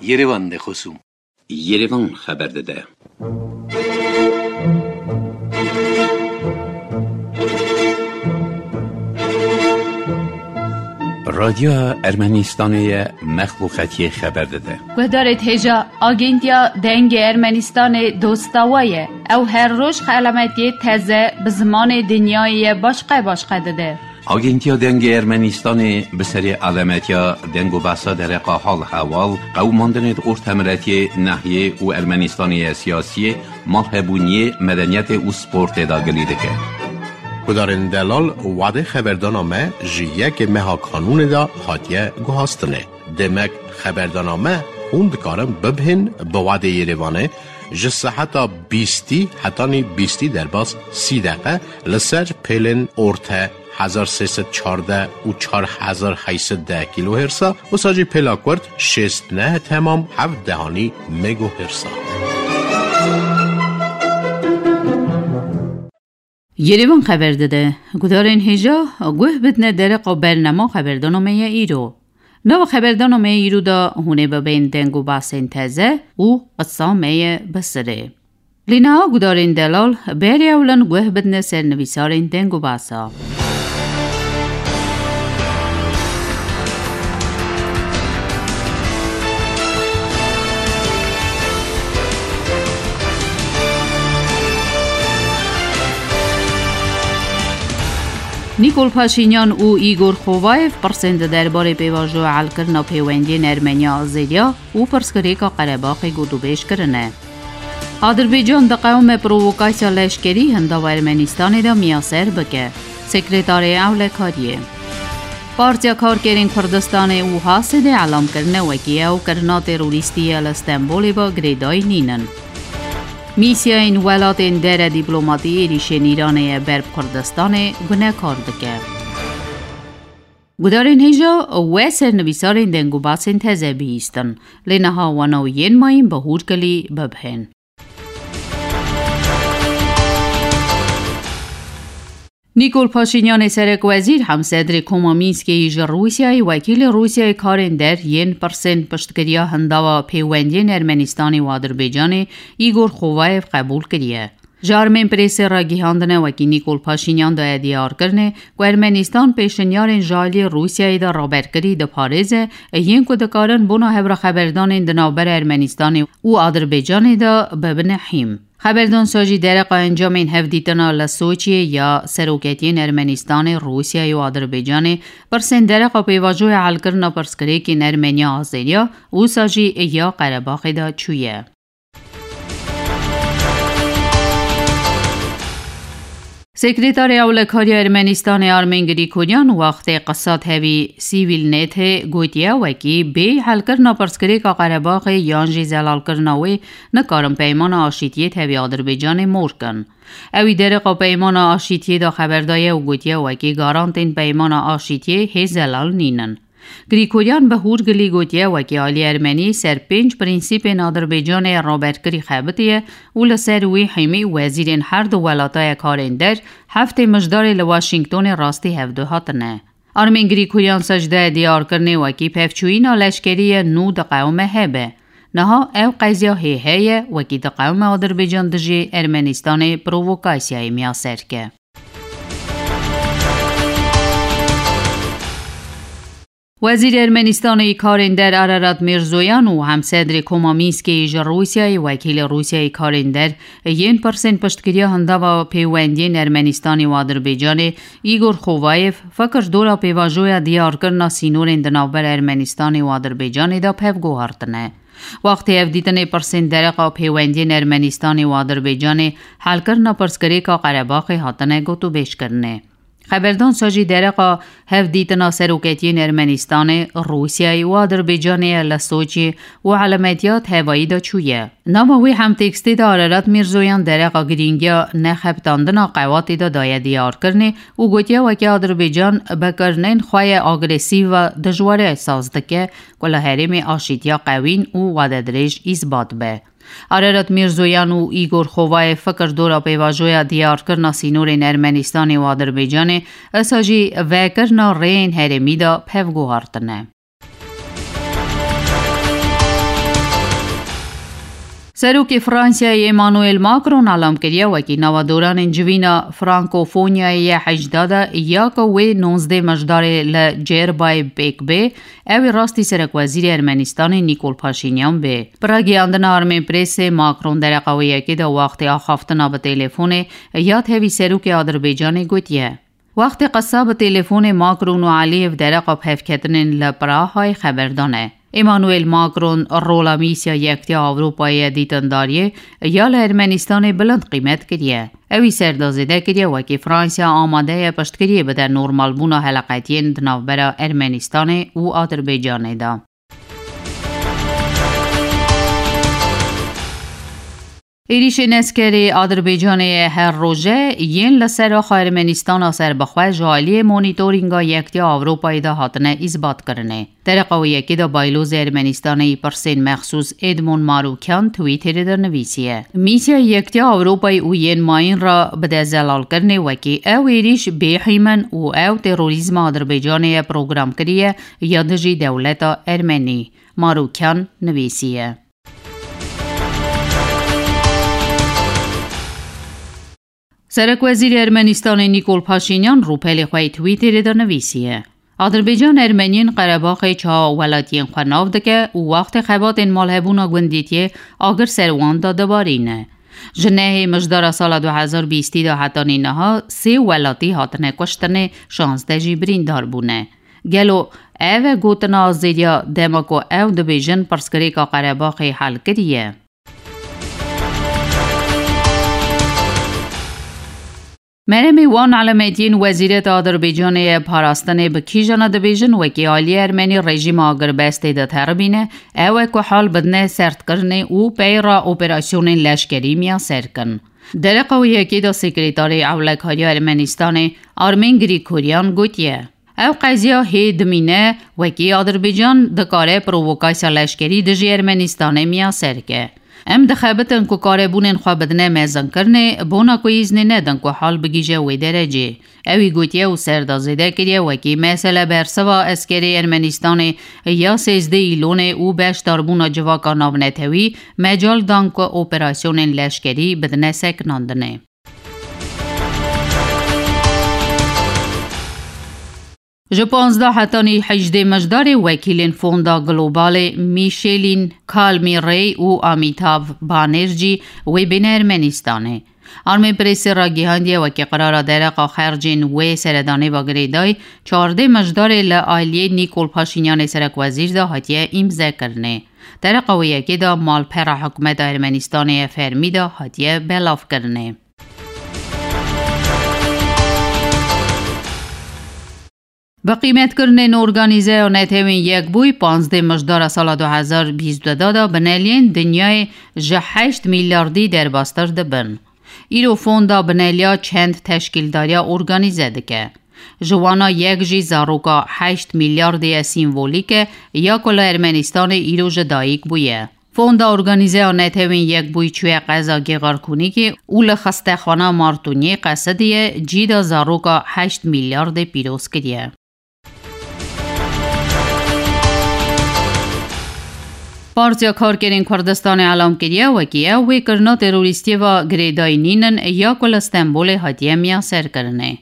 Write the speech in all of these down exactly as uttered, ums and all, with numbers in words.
Yerevan de xosûm. Yerevan xeber dide. Radyoya Ermenistanê ye, mexluqetiyê xeber dide. Guhdarê hêja, Agentiya Dengê Ermenistanê dosta we ye. Ew her roj xelametiyê teze bi zimanê dinyayê ye başqe başqe dide. Agentiya Dengê Ermenistanê bi serê alemetiya deng û behsa dereqa hal hewal, qewimandinê di ortemiretiyê, nehiyê û Ermenistanê ye siyasiyê, malhebûniyê, medeniyetê û sportê de gilî dike. Gudarên delal, wadê xeberdana me ji yekê meha kanûnê de hatiye guhastinê. Demek xeberdana me hûn dikarin bibhên bi wadê Yerevanê ji seheta bîstî hetanî bîstî derbas sî deqe li ser pêlên orte hezar sê sed çardeh û çar hezar heyt sed deh kîlohersa, wisa jî pêla kurt şêst neh temam heft dehanî megohersa. Yerevan xeber dide, gudarên hêja guh bidine dereqa bernama xeberdana me ye îro. Nava xeberdana me ye îro de hûn ê bibên deng û behsên teze û qisa me ye bi sirê. Lê niha gudarên delal berê ewlin guh bidine ser nivîsarên deng û behsa. Nîkol Paşînyan û Îgor Xovayev pirsên di derbarê pêvajoya helkirina pêwendiyên Ermeniya Azeriya û pirsgirêka Qerebaxê gotûbêj kirine. Adirbaycan diqewime provokasya leşkerî hindava Ermenistanê de miyaser bike. Sekretarê Ewlekariyê. Partiya Karkerên Kurdistanê û Hasedê elam kirine wekî ew kirina terorîstî ye li Stenbolê ve girêdayî nînin. Mîsyayên welatên dere dîplomatî êrîşên Îranê ye ber bi Kurdistanê gunekar dike. Gudarên hêja we sernivîsarên deng û basên teze bihîstin, lê niha wana û yên mayîn bi hûrkilî bibhên. Nîkol Paşînyanê serekwezîr, hemsedrê Koma Mînskê yî ji Rûsyayê, wekîlê Rûsyayê karên der yên pirsên piştgiriya hindava pêwendiyên Ermenistanê û Adirbaycanê Îgor Xovayev qebûl kiriye. Ji armên presê ragihandine wekî Nîkol Paşînyan daye diyarkirinê ku Ermenistan pêşinyarên ji aliyê Rûsyayê de raberkirî diparêze, yên ku dikarin bona hevraxeberdanên di navbera Ermenistanê û Adirbaycanê de bibine hîm. Xeberdan sa jî dereqa encamên hevdîtina li Soçiyê ya seroketiyên Ermenistanê, Rûsyayê û Adirbaycanê, pirsên dereqa pêvajoya helkirina pirsgirêkên Ermeniya Azeriya, wisa jî ya Qerebaxê de çûye. Sekreterê Ewlekariya Ermenistanê Armen Grîgoryan wextê qisa tevî Sîvîl Netê gotiye, wekî bê helkirina pirsgirêka Qerebaxê yan jî zelalkirina wê nikarin peymana aşîtiyê tevî Adirbaycanê mor kin. Ewî dereqa peymana aşîtiyê de xeber daye û gotiye, wekî garantên peymana aşîtiyê hê zelal nînin. Grîgoryan bi hûrgilî gotiye, wekî alî Ermenî ser pênc prensîpên Adirbaycanê raberkirî xebitiye û li ser wî hemî wezîrên her du welata ye karên der heftê mijdarê li Washingtonê rastî hevdu hatine. Armên Grîgoryan sa jî daye diyarkirinê, wekî pevçûyîna leşkerî ye nû diqewime hebe. Niha ew qeziya hê heye, wekî diqewime Adirbaycan dijî Ermenistanê provokasyayê miyaser ke. Wezîrê Ermenistanê yî karên der Ararat Mirzoyan û hemsedrê Koma Mînskê yî ji Rûsyayê, wekîlê Rûsyayê karên der yên pirsên piştgiriya hindava pêwendiyên Ermenistanê û Adirbaycanê Îgor Xovayev, fikir dora pêvajoya diyarkirina sînorên di navbera Ermenistanê û Adirbaycanê de pev guhartine. Wextê hevdîtinê pirsên dereqa pêwendiyên Ermenistanê û Adirbaycanê, helkirina pirsgirêka Qerebaxê hatine gotûbêjkirinê. Xeberdan sa jî dereqa hevdîtina seroketiyên Ermenistanê, Rûsyayê û Adirbaycanê ye li Soçî û elametiya tevayî de çûye. Nava wî hemtekstê de Ararat Mirzoyan dereqa girîngiya nexebitandina qewatê de daye diyarkirinê û gotiye, wekî Adirbaycan bi kirinên xwe ye agresîv ve dijware saz dike ku li herêmê aşîtiya qewîn û wadedirêj îsbat be. Ararat Mirzoyan û Îgor Xovayev fikir dora pêvajoya diyarkirina sînorên Ermenistanê û Adirbaycanê, esa jî vekirina rêyên herêmî de pev guhartine. Serokê Fransayê Emmanuel Macron elam kiriye, wekî nava doranên civîna Frankofonyayê yê hejda de ya ku wê nonzdeh Mijdarê li Cerbay pêk bê, ew ê rastî serekwezîrê Ermenistanê Nîkol Paşînyan bê. Bi ragihandina Armenpressê Macron dereqa wê yekê de wextê axaftina bi telefonê ya tevî serokê Adirbaycanê gotiye. Wextê qesa bi telefonê Macron û Aliyev dereqa bi hevketinên li Prahayê xeber dane. Emmanuel Macron rola mîsya Yektiya Ewropayê ya dîtindariyê ya li Ermenistanê bilind qîmet kiriye. Ew î ser de zêde kiriye, wekî Fransa amade ye piştgiriyê bide normalbûna heleqetiyên di navbera Ermenistanê û Adirbaycanê de. Êrîşên eskerê Adirbaycanê yê her roje yên li ser axa Ermenistana serbixwe ji aliyê Monîtorînga Yektiya Ewropayê de hatine îsbatkirinê. Dereqa wê yekê de Baylozê Ermenistanê yî pirsên mexsûs Edmond Marûkyan Twitterê de nivîsiye, Mîsya Yektiya Ewropayê û yên mayîn re bide zelalkirinê wekî ew êrîş bêhîm in û ew terorîzma Adirbaycanê ye program kiriye ya dijî dewleta Ermenî. Marûkyan nivîsiye. Serekwezîrê Ermenistanê Nîkol Paşînyan rûpelê xwe yê Twitterê de nivîsiye, Adirbaycan Ermeniyên Qerebaxê çawa welatiyên xwe nav dike û wextê xebatên malhebûna gundîtiyê agir ser wan de dibarîne. Ji nehê Mijdara sala du hezar bîstî de hetanî niha sê welatî hatine kuştinê, şazdeh jî birîndar bûne. Gelo ev e gotina azêdiya dema ku ew dibêjin pirsgirêka Qerebaxê hel kiriye? Meremê wan elemetiyên Wezîreta Adirbaycanê ye parastinê bi kîjana dibêjin wekî aliyê Ermenî rejîma agirbestê de teribîne, ew e ku hal bidine sertkirinê û peyra operasyonên leşkerî miyaser kin. Dereqa wê yekê de Sekreterê Ewlekariya Ermenistanê Armin Grigoryan gotiye, Ew qeziya hê dimîne, wekî Adirbaycan dikare provokasya leşkerî dijî Ermenistanê miyaser ke. Em dixebitin ku karebûnên xwe bidine mezinkirinê, bona ku îznê nedin ku hal bigihîje wê derecê. Ew î gotiye û ser de zêde kiriye, wekî mesele bersiva eskerê Ermenistanê ya sêzdeh Îlonê û beşdarbûna civaka navnetewî mecal dan ku operasyonên leşkerî bidine sekinandinê. Ji panzdeh hetanî hejdê Mijdarê wekîlên Fonda Globalê Micheline Calmi-Rey û Amitav Banerjee wê bêne Ermenistanê. Armenpressê ragihandiye, wekî qirara dereqa xercên wê seredanê ve girêdayî çardê Mijdarê li aliyê Nîkol Paşînyanê serekwezîr de hatiye îmzekirinê. Dereqa wê yekê de malpera hikûmeta Ermenistanê ye fermî de hatiye belavkirinê. Bi qîmetkirinên Organîzeya Netewên Yekbûyî panzdeh Mijdara sala du hezar bîst û du de bineliyên dinyayê ji heşt milyardî derbastir dibin. Îro fonda bineliya çend teşkîldariya organîze dike. Ji wana yek jî zaroka heşt milyardê ye sîmvolîk e ya ku li Ermenistanê îro ji dayik bûye. Fonda Organîzeya Netewên Yekbûyî çûye qeza Gêxarkûnîkê û li xistexana Martûniyê qesidiye cî de zaroka heşt milyardê pîroz kiriye. Partiya Karkerên Kurdistanê elam kiriye, wekî ew wê kirina terorîstiyê ve girêdayî nînin ya ku li Stenbolê hatiye miyaserkirinê.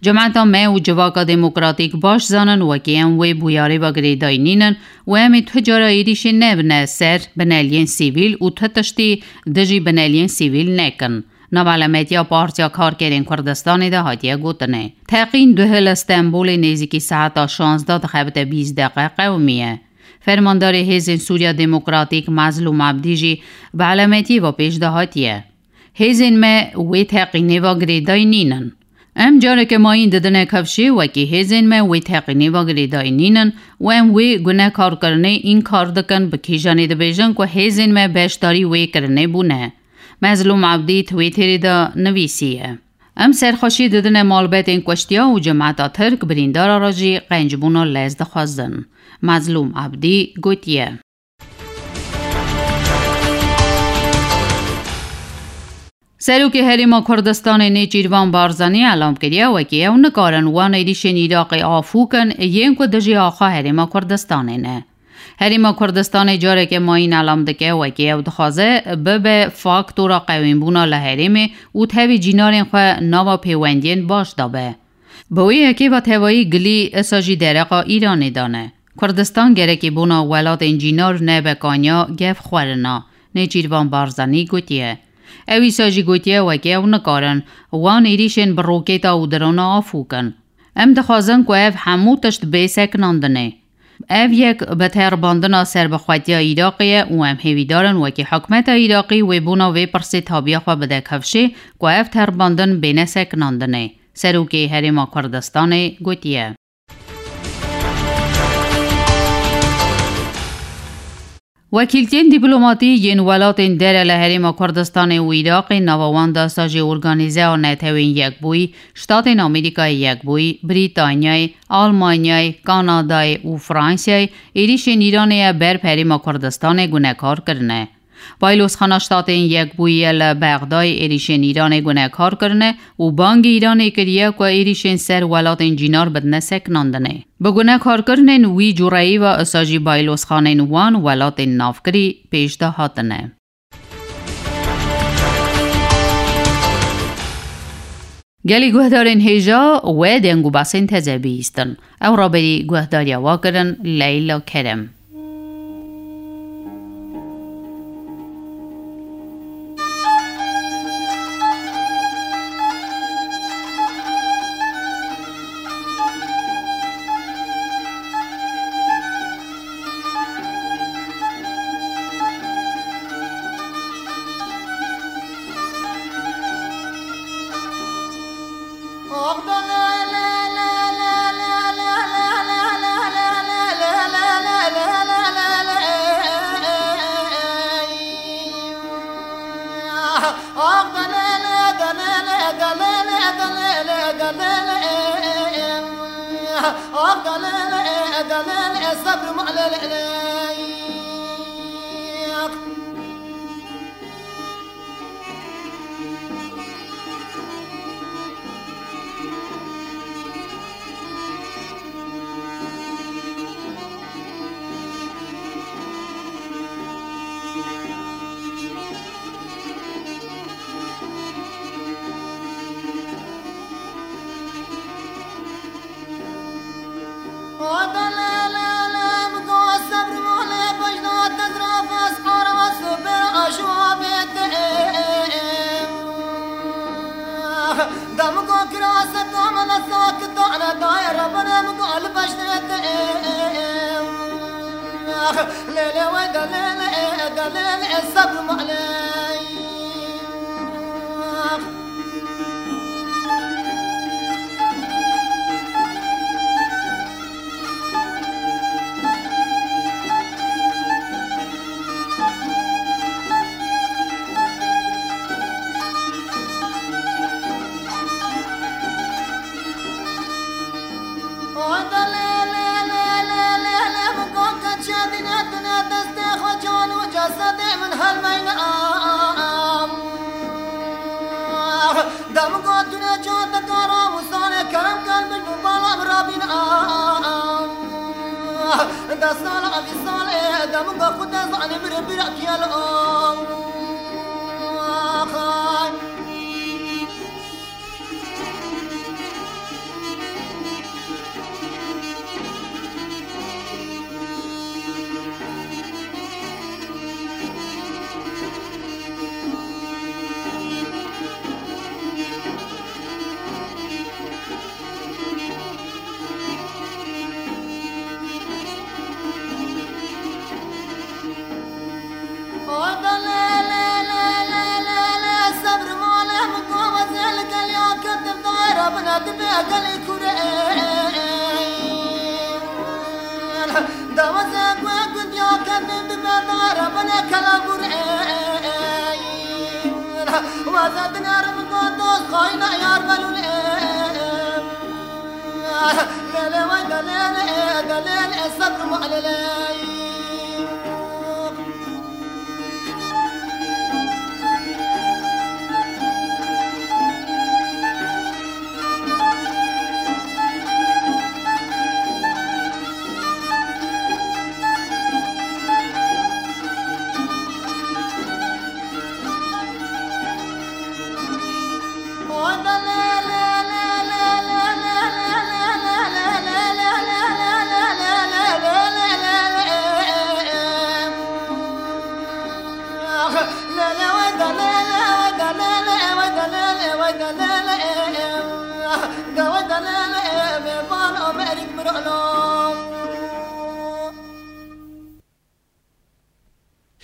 Cemeta me û Civaka Demokratîk baş zanin, wekî em wê bûyarê ve girêdayî nînin û em ê tu cara êrîşê nebine ser bineliyên sivîl û tu tiştî dijî bineliyên sivîl nekin. Nav elemetiya Partiya Karkerên Kurdistanê de hatiye gotinê. Teqîn duh li Stenbolê nêzîkî saeta şazdeh dixebite bîst deqe qewimiye. Fermandarê Hêzên Sûriya Demokratîk Mezlûm Ebdî jî bi elemetiyê ve pêş de hatiye. Hêzên me wê teqînê ve girêdayî nînin. Em careke mayîn didine kifşê, wekî hêzên me wê teqînê ve girêdayî nînin û em wê gunekarkirinê înkar dikin, bi kîjanê dibêjin ku hêzên me beşdarî wê kirinê bûne. Mezlûm Ebdî Twitterê de nivîsiye, Em serxweşî didine malbetên kuştiya û cemeta Tirk birîndara re jî qencbûna lez dixwazin. Mezlûm Ebdî gotiye. Serokê Herêma Kurdistanê Nêçîrvan Barzanî elam kiriye, wekî ew nikarin wan êrîşên Iraqê afû kin, yên ku dijî axa Herêma Kurdistanê ne. Herêma Kurdistanê careke mayîn elam dike, wekî ew dixwaze bibe faktora qewînbûna li herêmê û tevî cînarên xwe nava pêwendiyên baş de be. Bi wê yekê ve tevayî gilî isa jî dereqa Îranê de ne. Kurdistan gerekî bona welatên cînar nebe kanya gev xwerina, Nêçîrvan Barzanî gotiye. Ew îsa jî gotiye, wekî ew nikarin wan êrîşên bi rokêta û drona afû kin. Em dixwazin ku ev hemû tişt bê sekinandinê. Ev yek bi terbandina serbixwetiya Iraqê ye û em hêvîdar in wekî hikûmeta Iraqî wê bona vê pirsê tabiya xwe bide kifşê ku ev terbandin bêne sekinandinê. Serokê Herêma Kurdistanê gotiye. Wekîltiyên dîplomatî yên welatên dere li Herêma Kurdistanê û Iraqê, nava wan de sajê Organîzeya Netewên Yekbûyî, Ştatên Amerîkayê Yekbûyî, Brîtanyayê, Almanyayê, Kanadayê û Fransayê êrîşên Îranê ye ber bi Herêma Kurdistanê gunekar kirine. Baylozxana Ştatên Yekbûyî ye li Bexdayê êrîşên Îranê gunekar kirine û bangî Îranê kiriye ku êrîşên ser welatên cînar bidine sekinandinê. Bi gunekarkirinên wî cureyî ve isa jî baylozxanên wan welatên navkirî pêş de hatine. Gelî guhdarên hêja we deng û basên teze bihîstin. Ew raberî guhdariya we kirin Leyla Kerem. Dem got tune çatekara Musane kerem kel bin bu balam rabin a. Dest sal abi sal e dem got xud ez ani bir bir kiyal o.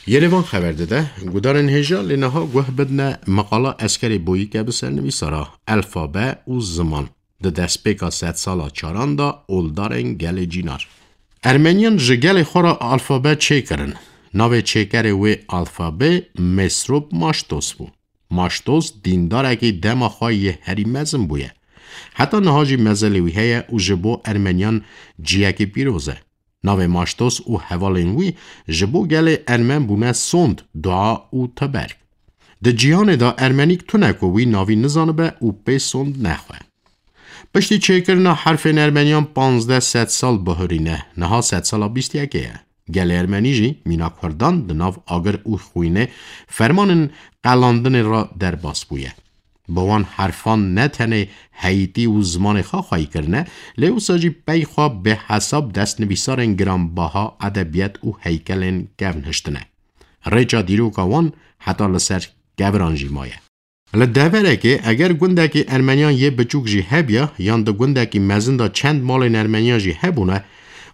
Yerevan xeber dide, gudarên hêja lê niha guh bidine meqala Eskerê Boyîke bi sernivîsara Elfabe û Ziman. Di destpêka sedsala çaran de oldarên gelê Cînar. Ermeniyan ji gelê xwe re alfabe çêkirin. Navê çêkerê wê alfabê Mesrop Maştos bû. Maştos dîndarekî dema xwe yê herî mezin bûye. Heta niha jî mezelê wî heye û ji bo Ermeniyan ciyekî pîroz e. Navê Maştos û hevalên wî ji bo gelê Ermen bûne sond, dua û teberg. Di cîhanê de Ermenîk tune ku wî navî nizanibe û pê sond nexwe. Piştî çêkirina herfên Ermeniyan panzdeh sedsal bihurîne, niha sedsala bîst yekê ye. Gelê Ermenî jî mîna Kurdan di nav agir û xwînê fermanên qelandinê re derbas bûye. Bi wan herfan ne tenê heyîtî û zimanê xwe xweyî kirine, lê wisa jî pey xwe bêhesab destnivîsarên giranbaha edebiyat û heykelên kevn hiştine. Rêça dîroka wan heta li ser keviran jî maye. Li deverekê eger gundekî Ermeniyan yê biçûk jî hebiya, yan di gundekî mezin de çend malên Ermeniyan jî hebûne,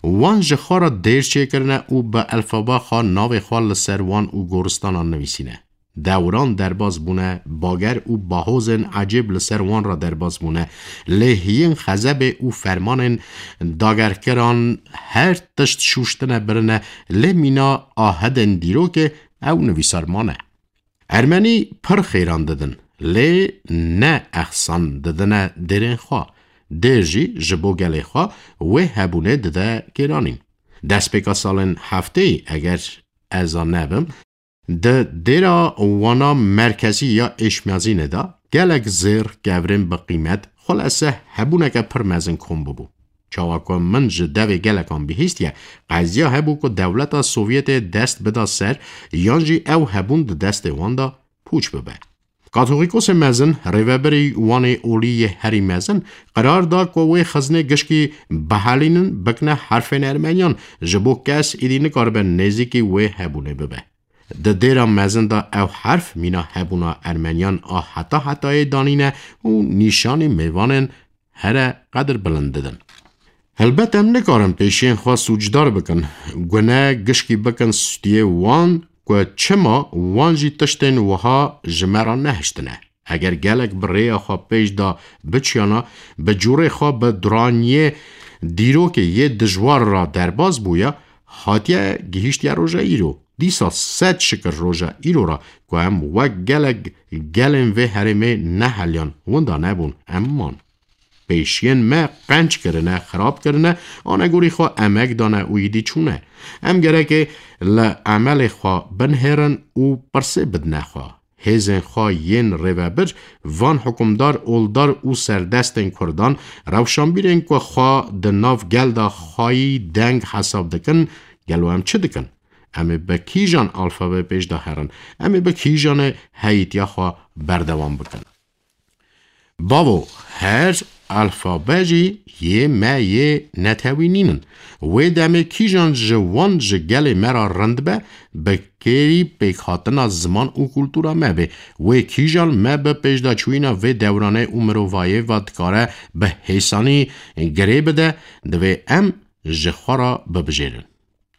wan ji xwe re dêr çêkirine û bi elfaba xwe navê xwe li ser wan û goristanan nivîsîne. Dewran derbas bûne, bager û bahozên ecêb li ser wan re derbas bûne, lê hiyên xezebê û fermanên dagerkiran her tişt şûştine birine, lê mîna ahedên dîrokê ew nivîsar mane. Ermenî pir xêran didin, lê ne exsan didine dêrên xwe. Dêr jî ji bo gelê xwe wê hebûnê dide kêranîn. Destpêka salên hefteyî, eger ez a nebim, di dêra wana merkezî ya Êşmezînê de gelek zêr, kevirên bi qîmet, xulese hebûneke pir mezin kom bibû. Çawa ku min ji devê gelekan bihîstiye, qeziya hebû ku dewleta Sovyetê dest bida ser, yan jî ew hebûn di destê wan de pûç bibe. Katolîkosê mezin, rêvebirî wanê olî yê herî mezin, qerar da ku wê xiznê gişkî bihelînin, bikine herfên Ermeniyan, ji bo kes êdî nikaribe nêzîkî wê hebûnê bibe. Di dêra mezin de ew herf mîna hebûna Ermeniyan a heta hetayê danîne û nîşanî mêvanên here qedirbilind didin. Helbet em nikarin pêşiyên xwe sûcdar bikin, gune gişkî bikin stûyê wan ku çima wan jî tiştên wiha ji me re nehiştine. Eger gelek bi rêya xwe pêş de biçiyana, bi cûrê xwe bi duraniyê dîrokê yê dijwar re derbas bûya, hatiye gihîştiye roja îro. Dîsa sed şikir roja îro re ku em wek gelek gelên vê herêmê neheliyan, winda nebûn, em man. Pêşiyên me qenc kirine, xirab kirine, anegorî xwe emek dane û îdî çûne. Em gereke li emelê xwe binihêrin û pirsê bidine xwe. Hêzên xwe yên rêvebir, van hikûmdar, oldar û serdestên Kurdan, rewşanbîrên ku xwe di nav gel de xweyî deng hesab dikin, gelo em çi dikin? Em ê bi kîjan alfabê pêş de herin? Em ê bi kîjanê heyîtiya xwe berdewam bikin? Bavo, her alfabe jî yê me yê netewî nînin. Wê demê kîjan ji wan ji gelê me re rind be, bi kêrî pêkhatina ziman û kultura me be. Wê kîjan me bi pêşdaçûyîna vê dewranê û mirovayê ve dikare bi hêsanî girê bide, divê em ji xwe re bibijêrin.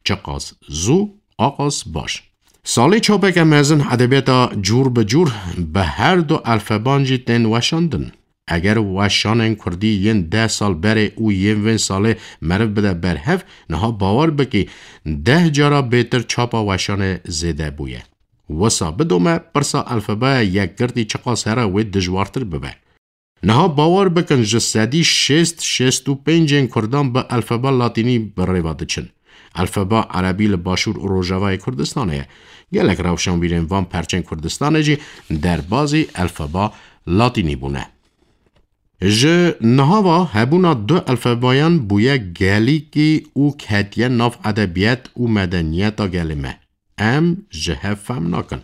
Çiqas zû, aqas baş. Salê çapeke mezin edebiyata cûr bi cûr bi her du alfaban jî tên weşandin. Eger weşanên kurdî yên deh sal berê û yên vên salê meriv bide berhev, niha bawer bikî deh cara bêtir çapa weşanê zêde bûye. Wisa bidome pirsa alfabaya yekgirtî çiqas here wê dijwartir bibe. Niha bawer bikin, ji sedî şêst, şêst û pêncên Kurdan bi alfaba latînî bi rêva diçin. Alfaba erebî li başûr û rojavayê Kurdistanê ye. Gelek rewşanbîrên van perçên Kurdistanê jî derbazî alfaba latînî bûne. Ji niha ve hebûna du alfabayan bûye gelîkî û ketiye nav edebiyat û medeniyeta gelê me. Em ji hev fehm nakin.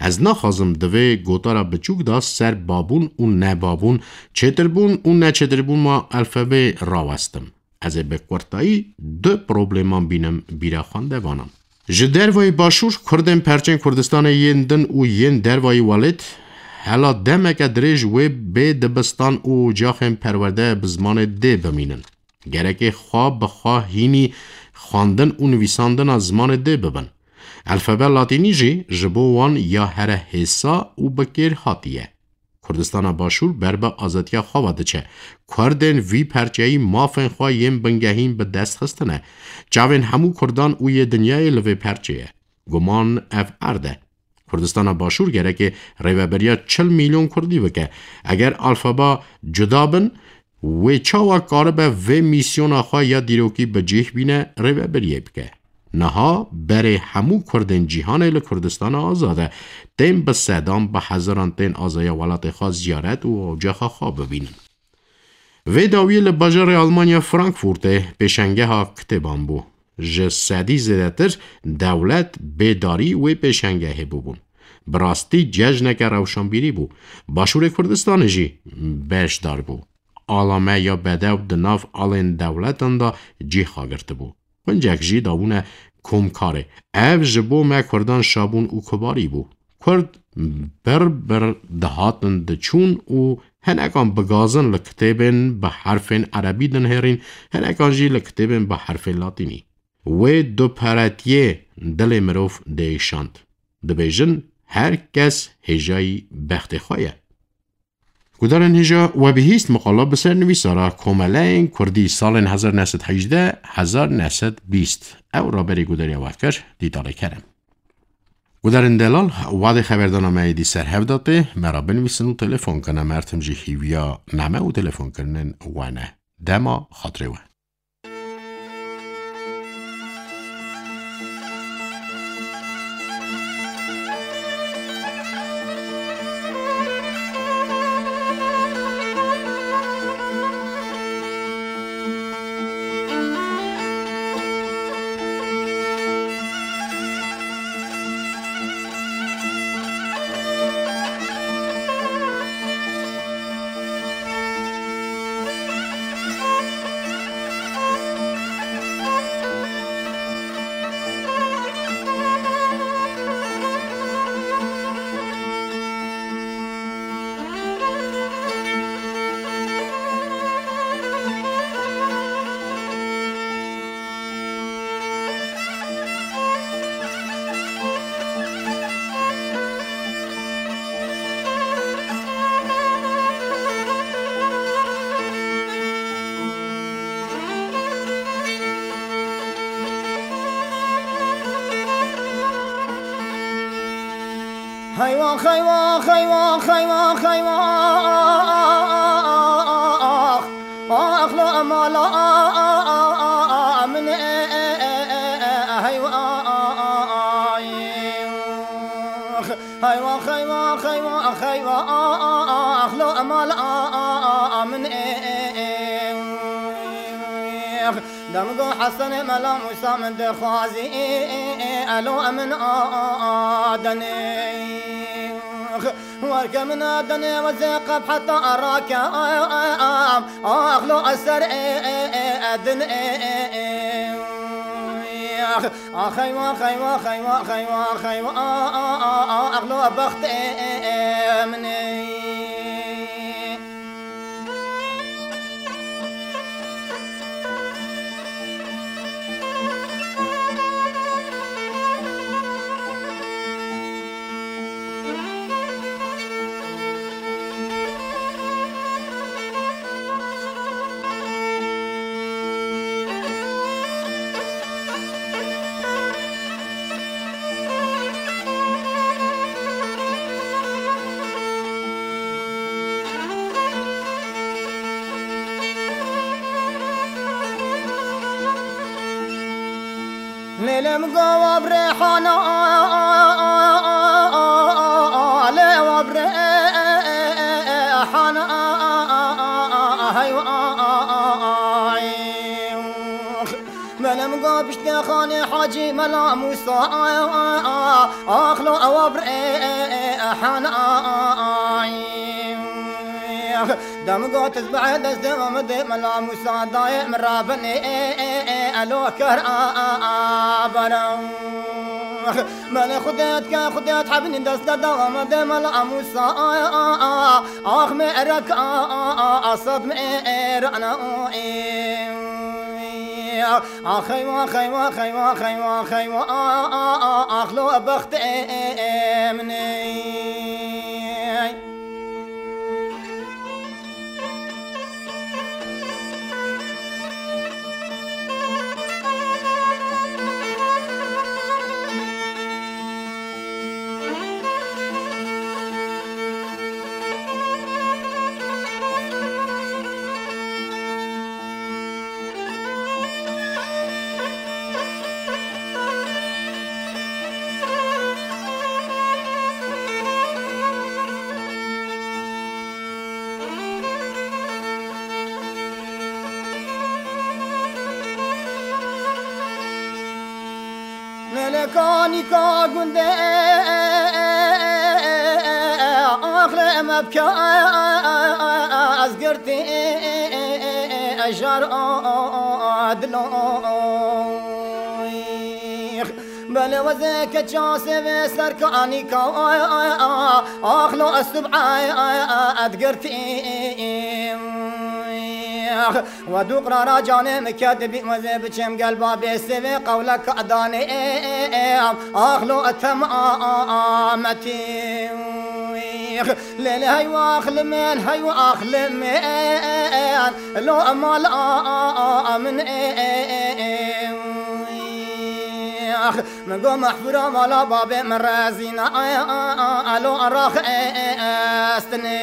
Ez naxwazim di vê gotara biçûk de ser babûn û nebabûn, çêtirbûn û neçêtirbûna alfabê rawestim. Ez ê bi kurtayî du probleman bînim bîra xwendevanan. Ji dervayî başûr, Kurdên perçên Kurdistanê yên din û yên dervayî welêt, hela demeke dirêj wê bê dibistan û ocaxên perwerde bi zimanê dê bimînin. Gerekê xwe bi xwe hînî xwendin û nivîsandina zimanê dê bibin. Alfabe latînî jî ji bo wan ya here hêsa û bi kêr hatiye. Kurdistana Başûr ber bi azadiya xwe ve diçe. Kurdên vî perçeyî mafên xwe yên bingehîn bi dest xistine. Çavên hemû Kurdan û yê dinyayê li vê perçê ye. Guman ev erd e. Kurdistana Başûr gereke rêveberiya çil milyon Kurdî bike. Eger alfaba cuda bin, wê çawa karibe vê mîsyona xwe ya dîrokî bi cih bîne rêveberiyê bike? Niha berê hemû Kurdên cîhanê li Kurdistana Azad e. Tên bi sedan, bi hezaran tên azaya welatê xwe ziyaret û ocaxa xwe bibînin. Vê dawiyê li bajarê Almanya Frankfurtê pêşengeha kitêban bû. Ji sedî zêdetir dewlet bêdarî wê pêşengehê bûbûn. Bi rastî cejneke rewşanbîrî bû. Başûrê Kurdistanê jî beşdar bû. Alame ya bedew di nav alên dewletan de cî xwe girtibû. Hincek jî dabûne komkarê. Ev ji bo me Kurdan şabûn û kibarî bû. Kurd bir bir dihatin diçûn û hinekan bi gazin li kitêbên bi herfên erebî dinihêrîn, hinekan jî li kitêbên bi herfên latînî. Wê duperetiyê dilê mirov diêşand. Dibêjin, her kes hêjayî bextê xwe ye. Gudarên hêja we bihîst, miqala bi ser nivîsara Komeleyên Kurdî salên hezar neh sed hejdeh, hezar neh sed bîst. Ew raberî gudariya we kir, Dîtalê Kerem. Gudarên delal, wadê xeberdana me êdî ser hev de tê, me re binivîsin û telefon kine, me tim jî hîviya name û telefonkirinên we ne. Dema xatirê we. Heywa, heywa, heywa, heywa, heywa. Ax lo mala min, heywa. Heywa, heywa, heywa, heywa. Ax lo mala min. Dem go Hesen Mela Musa min dixwazî, elo min adenê. Werke min adenê, wezê qep heta arake, axlo eser din. Axeywa, xeywa, xeywa, xeywa, xeywa, axlo bextê min. Lêlem gava bi rêhana, lê wa bi rêhana, heywa. Belem ga piştê xanê Hacî Mela Musa, axlo ewa bi rêhana. Dem got ez bi destê Amedê Mela Musa dayê min rabinê, elo ker a, a, a, bara. Mele Xudê dike, Xudê hebinî destê da Amedê Mela Musa, ax me erek a, a, a, a, sed me erana. Ax eywa, xeywa, xeywa, xeywa, xeywa, a, a, a, ax lo bextê min ê. Lêlê kanîka gundê, axlê me bike ez girtî, jar dilo. Belê wezê keça sêvê ser kanîka, axlo ez tub'e ez girtî. Wa du qrara canê min ket, dibî wezê biçim gel babê sêvê qewlek danê, ax lo etemametî. Lê lê heywa axlimên, heywa axlimên, lo emal a min ê. Min go mehfura mala babê min rezîna, lo rax estinê.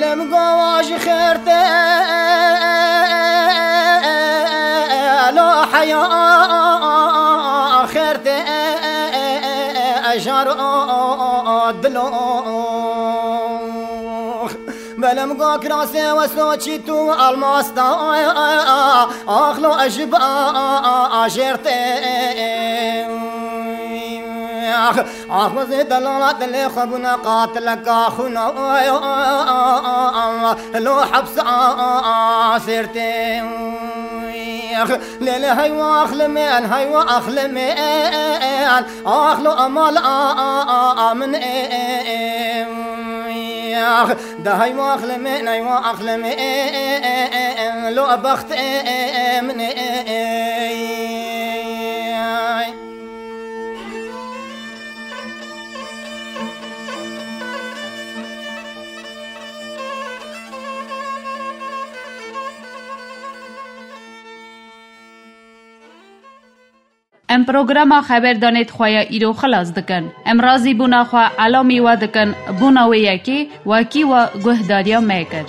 Lê min go wa ji xêr tê, lo heya xêr tê, jar dilo. Belê min go kirasê we soçî tu almas da, axlo ez ji ba ajêr tê. Ax, ax, wezê delala dilê xwe bûne qatileka xwîna, lo hepsa sêrtê. Lê lê heywa axlimên, heywa axlimên, ax lo emal a min ê. Ax, de heywa axlimên, heywa axlimên, lo bextê min ê. Em programa xeberdanê di xwe ya îro xilas dikin. Em razîbûna xwe elamî we dikin bona wê yekê wekî we guhdariya me kir.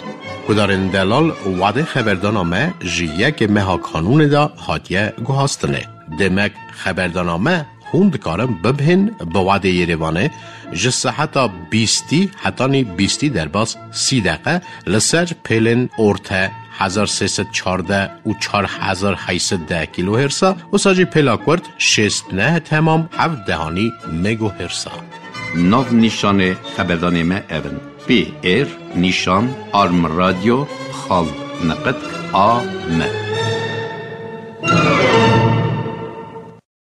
Guhdarên delal, wadê xeberdana me ji yekê meha Kanûnê de hatiye guhastinê. Demek xeberdana me hûn dikarin bibihên bi wadê Yerêvanê ji seheta bîstî hetanî bîstî derbas sî deqe li ser pêlên orte hezar sê sed çardeh û çar hezar heyt sed deh kilohertsa, wisa jî pêla kurt şêst neh temam heft dehanî megohertsa. Nav nîşanê xeberdanê me ev in: P R nîşan arm radio xal neqet a m.